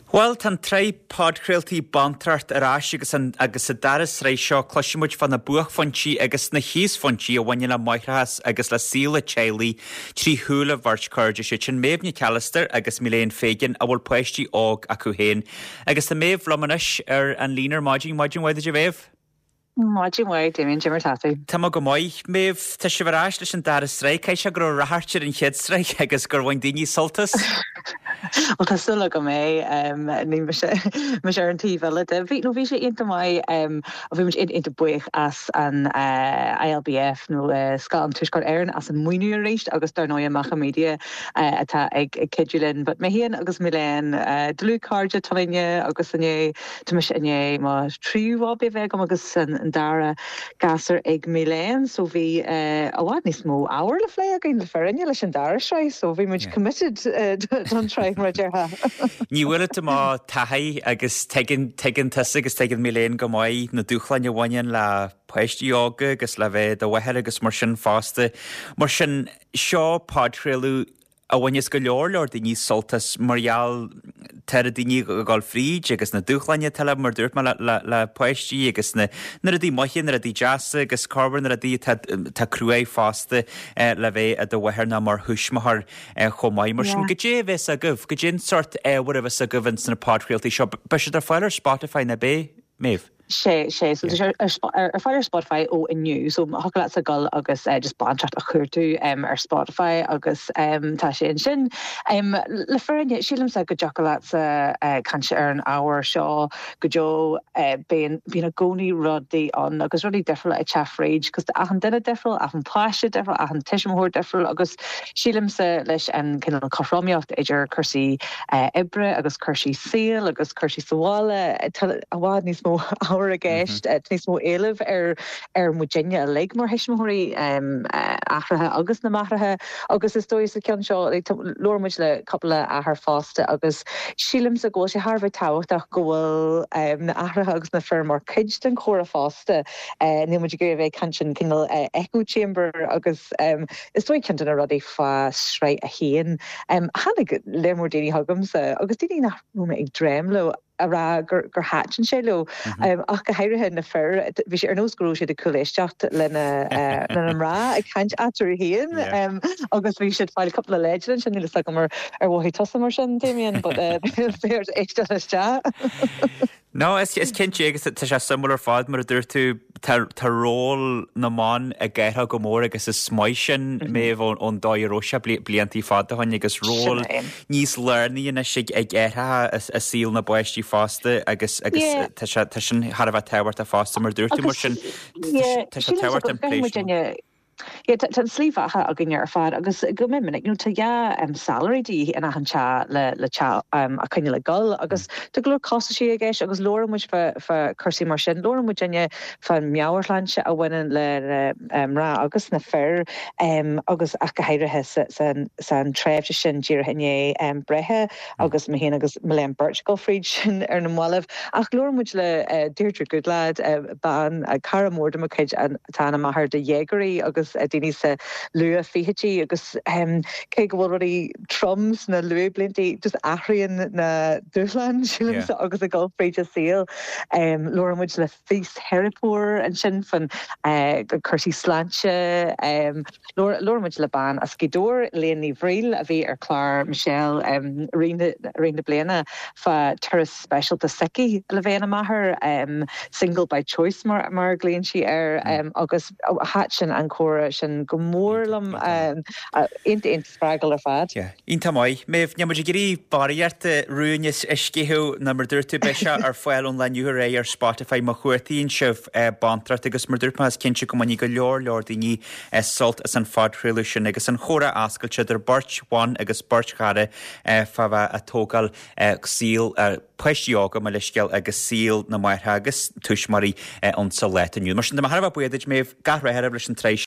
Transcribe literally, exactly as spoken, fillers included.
Bhuel tá an tsraith podchraoltaí Bantracht ar ais agus an, agus sa dara sraith seo cloisfimid fá na buaicphointí agus na híosphointí a bhaineann le máithreachas agus le saol an teaghlaigh trí shúile bheirt chairde sé sin Méabh Nic Allister agus Milene Fegan a bhfuil páistí óg acu féin. Agus tá Méabh liom anois ar an líne ar maidin maidin mhaith duit a Mhéabh? Maidin mhaith Damien cad é mar tá tú. Tá mé go maith Méabh tá sibh ar ais leis an dara sraith Caithfidh sé go raibh ráchairt ar an chéad sraith agus gur bhain daoine sult as? Well tá súil agam é ní mise ar an taobh eile de. Bhí nó bhí sé iontach maith bhí muid iontach buíoch as an ILBF nó Scoil an Tuaisceart Éireann as an maoiniú arís agus dar ndóigh Macha Media atá ag cuidiú linn, but mé féin agus Milene dlúthchairde toinne agus inné tá mise i ndiaidh mo tríú baby a bheith agam agus an dara gasúr ag Milene, so bhí i bhfad níos mó ábhar le plé againn le fírinne leis an dara sraith, so bhí muid committed don tsraith mar déarfá. Ní bhfuil má taithí agus tuigeann tusa agus tuigeann Milene go maith na dúshláin a bhaineann le páistí óga agus le bheith i do mháthair agus mar sin fosta. Mar sin seo podchraoladh a bhaineas go leor leor daoine sult as mar gheall tá daoine ag dul fríd agus na dúshláin atá mar dúirt mé le, le páistí agus na na rudaí maithe na rudaí deasa agus corruair na rudaí tá crua fosta eh, le bheith i do mháthair ná mar thuismitheoir eh, chomh maith mar sin cad é a bheas agaibh, cad é an sórt ábhar a bheas agaibh in sna podchraoltaí seo, beidh siad ar fáil ar Spotify nó beidh Méabh. sé sé so yeah. ar ar fáil ar Spotify ó inniu so thiocfadh leat a ghoil agus uh, just bantracht a chuardach um, ar Spotify agus um, tá sé ansin um, le fírinne sílimse go dtiocfadh leat uh, caint ar an ábhar seo go deo uh, bíonn bíonn i gcónaí rudaí ann agus rudaí difriúla ag teacht fríd, cos achan duine difriúil achan pháiste difriúil achan tuismitheoir difriúil agus sílimse leis an cineál cothromaíocht idir cúrsaí uh, oibre agus cúrsaí saoil agus cúrsaí sa bhaile i bhfad níos mó ábhar i gceist mm -hmm. níos mó éileamh ar ar muidinne uilig mar thuismitheoirí um, athraithe agus na máithreacha agus is dóigh sa ceann seo labhair muid le cúpla athair fosta agus sílimse go bhfuil sé thar tábhachtach go bhfuil um, na haithreacha agus na fir mar chuid den chomhrá fosta uh, níl muid ag bheith caint sin cineál uh, echo chamber agus um, is dóigh ceann de na rudaí fá sraith a haon. Um, tháinig le mór daoine chugamsa agus daoine nach mé ag dréim leo a rá gur gur thaitin sé leo mm -hmm. um, ach go háirithe na fir bhí sé ar nós go raibh siad ag cúléisteacht lena uh, lena mná ag caint eatarthu féin um, agus bhí siad fáil cúpla leideanna sin níl agam ar ar mhothaigh tusa mar sin Damien but uh, éisteacht No is is cinnte agus tá sé suimiúil ar fad mar a dúirt tú tá ról na mban ag athrú go mór agus is maith sin mhm. Méabh ón dóigh a raibh sé blianta fada ó shin agus ról níos lárnaí anois ag ag aithreacha i saol na bpáistí fosta agus agus tá sin thar a bheith tábhachtach fosta mar dúirt tú mar sin tá sé tábhachtach an plé. Tá slí bheatha againne ar fad agus go minic nó tá dhá um, salary de in achan teach le le teach um, a choinneáil ag dul agus tá go leor costaisí i gceist agus labhair muid fá cúrsaí mar sin labhair muid inné fan meabhairshláinte a bhaineann le mná agus na fir um, agus ach go háirithe san san tréimhse sin díreach i ndiaidh um, breithe agus mé féin agus Milene beirt ag dul fríd sin ar na mallaibh ach labhair muid le uh, Deirdre Goodlad uh, bean uh, cara mór de mo chuid atá ina máthair do dhéagóirí agus uh, daoine sa luath-fhichidí agus um, cé go bhfuil rudaí trom sna luathbhlianta just athraíonn na dúshláin sílimse yeah. agus ag dul fríd an saol um, labhair muid le fisiteiripeoir ansin fan uh, cúrsaí sláinte um, labhair muid le bean as Gaoth Dobhair Léan Ní Bhriail a bhí ar chlár Michelle um, i rith na bliana fá turas speisialta s'aici le bheith ina máthair um, single by choice mar mar glaonn sí air um, agus thaitin an comhrá sin go mór liom iontach iontach spreagúil ar fad. Iontach maith, Méabh níl muid ag iarraidh barraíocht rúin a sceitheadh ná mar dúirt tú beidh sé ar fáil ón lá inniu ar aghaidh ar Spotify má chuartaíonn sibh bantracht agus mar dúirt mé is cinnte go mbainfidh go leor leor daoine sult as an phodchraoladh sin agus an chomhrá oscailte idir beirt bhan agus beirt chara fá bheith ag tógáil saol páistí óga mar leithscéal agus saol na máithreacha agus tuismitheoirí ansa lá inniu. Mar sin de mar buíochas Méabh gach rath leis an tsraith